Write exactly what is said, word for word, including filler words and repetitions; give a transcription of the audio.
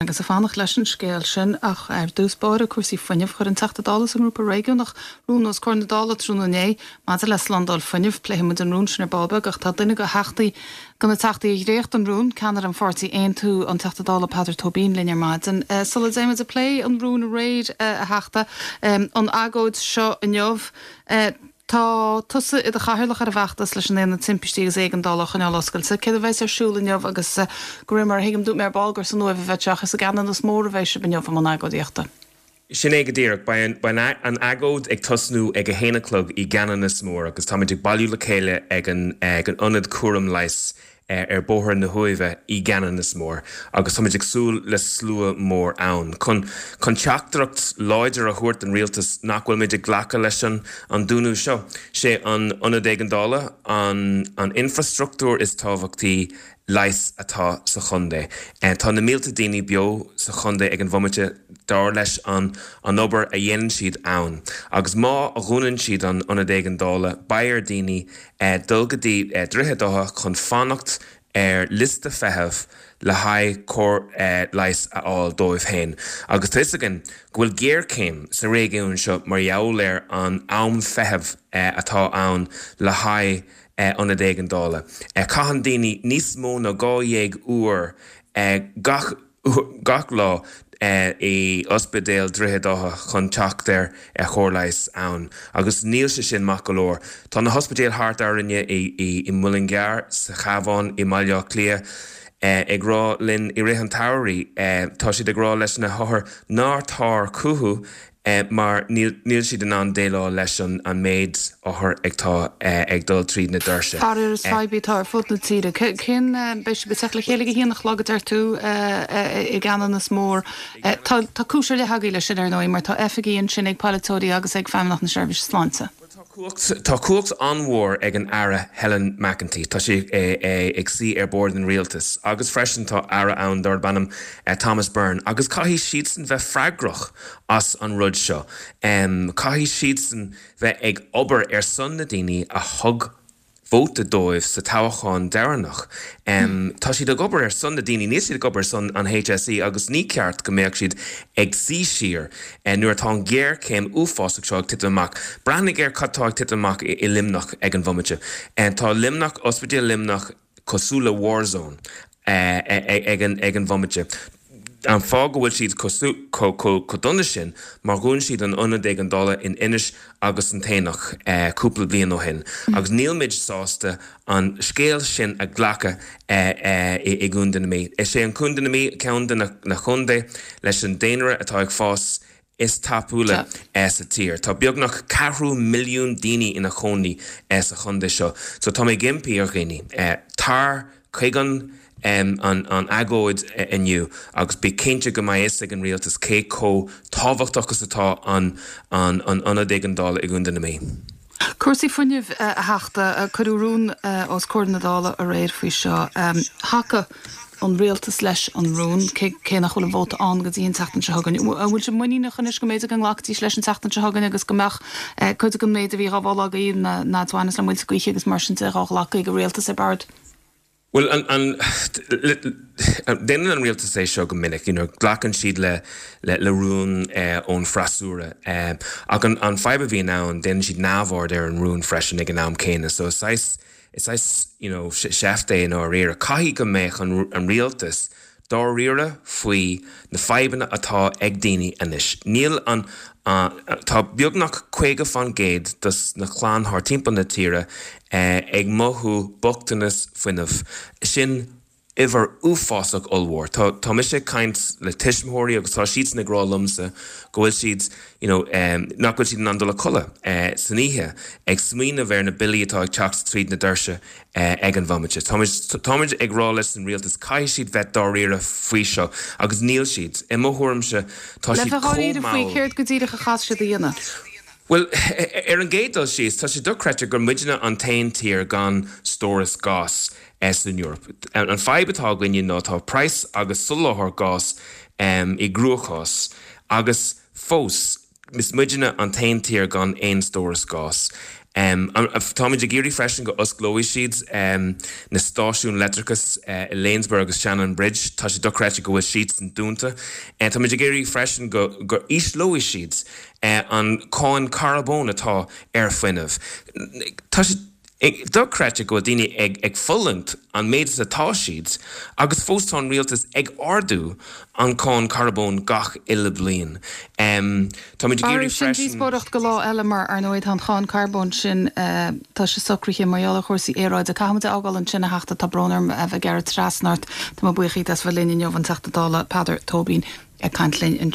Agus ag fanacht leis an scéal sin ach ar dtús báire cúrsaí fuinnimh chuir an Teachta Dála sa ngrúpa réigiúnach rún os comhair na Dála tráthnóna inné maidir le slándáil fuinnimh pléifidh muid an rún sin ar ball beag ach tá duine de theachtaí de na teachtaí a dhréacht an rún ceannaire an pháirtí Aontú an Teachta Dála Peadar Tóibín linn ar maidin. Eh, sula dtéimid ag plé an rún aréir eh, a Theachta an agóid seo inniu. Eh, Tá tusa i do chathaoirleach ar an bhfeachtas leis an Aonad Timpistí agus Éigeandála a choinneáil oscailte. Céard a bheas ar siúl inniu agus eh, go raibh mar a thuigim dúirt mé ar ball gur san Uaimh a bheidh ach is i gCeanannas Mór a bheidh sibh inniu i mbun agóidíochta. Sin é go díreach beidh an agóid ag tosnú ag a haon a chlog i gCeanannas Mór agus táimid ag bailiú le chéile ag an ag an ionad cúram leighis ar Bhóthar na hUaimhe i gCeanannas Mór agus táimid ag súil le slua mór ann. Chun chun teachtaireacht láidir a thabhairt don rialtas nach bhfuilmid ag glacadh leis an an dúnadh seo. Sé an ionad éigeandála an an infrastruchtúr is tábhachtaí leighis atá sa chontae. Tá na mílte daoine beo sa chontae ag an bhomaite dar leis an an obair a dhéanann siad ann. Agus má a dhúnann siad an ionad éigeandála beidh ar daoine dul go dtí Droichead Átha chun fanacht ar liosta feithimh le haghaidh cóir leighis a fháil dóibh féin. Agus tá againn go bhfuil géarchéim sa réigiún seo mar gheall ar an am feithimh atá ann le haghaidh ionad éigeandála. Caitheann daoine níos mó ná dhá dhéag uair gach gach lá i ospidéal Droichead Átha chun teacht ar chóir leighis ann, agus níl sé sin maith go leor. Tá na hospidéil thart orainne i i Muileann gCearr sa Chabhán i mBaile Átha Cliath ag rá linn i rith an tsamhraidh tá siad ag rá leis na hothair ná tar chucu mar níl siad in ann déileáil leis an an méid othar atá ag dul tríd na doirse. Faraor is fadhb í atá ar fud na tíre. Cén beidh sibh ag teacht le chéile ag a haon a chlog a deir tú i gCeanannas Mór. Tá tá cúis ar leith agaibh leis sin ar ndóigh mar tá oifigí ansin ag polaiteoirí agus ag Feidhmeannacht na Seirbhíse Sláinte. Tá cumhacht tá cumhacht an-mhór ag an Aire Helen McEntee Tá sé ag suí ar bord an rialtas agus freisin tá aire ann darb ainm Thomas Byrne agus caithfidh siadsan bheith freagrach as an rud seo. Um, caithfidh siadsan bheith ag obair ar son na daoine a thug vóta dóibh sa toghchán deireanach. Um, tá siad ag obair ar son na daoine níl siad ag obair son an HSE agus ní ceart go mbeadh siad ag suí siar uh, nuair atá an géarchéim uafásach seo ag titim amach. Breathnaigh ar cad tá ag titim amach i, i Luimneach ag an bhomaite. Uh, tá Luimneach ospidéal Luimneach cosúil le warzone uh, ag an, ag an bhomaite. An fáth go bhfuil siad chomh dona sin mar dhún siad an ionad éigeandála in Inis agus an tAonach cúpla bliain ó shin. Agus níl muid sásta an scéal sin a ghlacadh i gContae na Mí. Is é an Contae na Mí ceann de na contaetha leis an daonra atá ag fás is tapúla sa tír. Tá beagnach ceathrú milliún daoine ina chónaí sa chontae seo, so tá mé ag impí ar dhaoine. Tar chuig an um, an, an agóid inniu agus bí cinnte go mbeidh fhios ag an rialtas cé chomh tábhachtach is atá an an an ionad éigeandála i gContae na Mí. Cúrsaí fuinnimh a Theachta cuireadh rún os comhair na Dála aréir faoi seo. Thacaigh an rialtas leis an rún cé nach bhfuil an vóta ann go dtí an tseachtain seo chugainn. An bhfuil sé muiníneach anois go mb'fhéidir go nglacfaidís leis an tseachtain seo chugainn agus go mbeadh cuid den méid a bhí á mholadh agaibh na na bhaineas le muilte gaoithe agus mar sin de dhá ghlacadh ag an rialtas ar bord. Well an an déanann an rialtas é seo go minic, you know, glacann siad le le, le rún eh, ón freasúra. Eh, ach an, an fadhb a bhíonn ann déanann siad neamhaird ar an rún freisin ag an am céanna, so is is is you know, seift é dáiríre. Caithfidh go mbeadh an, an rialtas dáiríre faoi na fadhbanna atá ag daoine anois. Níl an uh, tá beagnach caoga faoin gcéad dos na clann thar timpeall na tíre eh, ag mothú bochtanas fuinnimh. Sin uimhir uafásach ollmhór. Tá tá mise ag caint le tuismitheoirí agus tá siad ag rá liomsa go bhfuil siad you know, um, nach bhfuil siad in ann dul a chodladh uh, san oíche ag smaoineamh ar na billí atá ag teacht tríd na doirse uh, ag an bhomaite. Táimid ag rá leis an rialtas caithfidh siad bheith dáiríre faoi seo agus níl siad. I mo thuairimse tá Le siad bheith dáiríre faoi chomh céard go díreach a chaithfidh siad a dhéanamh. Well ar an gcéad dul síos tá sé dochreidte gur muidne an t-aon tír gan stóras gas san Eoraip. An fadhb atá againne ná tá praghas agus soláthar gas um, i gcruachás agus fós is muidne an t-aon tír gan aon stóras gas. Táimid ag iarraidh freisin go osclóidh siad na stáisiúin leictreachais i Lanesborough agus Shannonbridge, tá sé dochreidte go bhfuil siadsan dúnta. Táimid ag iarraidh freisin go go ísleoidh siad an cáin carbóin atá ar fuinneamh. Tá sé dochreidte go bhfuil daoine ag ag fulaingt an méid is atá siad agus fós tá an rialtas ag ardú an cáin carbóin gach uile bliain. Táimid ag iarraidh freisin. Díospóireacht go lá eile mar ar ndóigh tá an cháin carbóin sin tá sé socraithe mar gheall ar chúrsaí aeráide. Caithfimid a fhágáil ansin a Theachta tá brón orm a bheith ag gearradh trasna ort. Tá mé buíoch díot as bheith linn inniu an Teachta Dála Peadar Tóibín ag caint linn.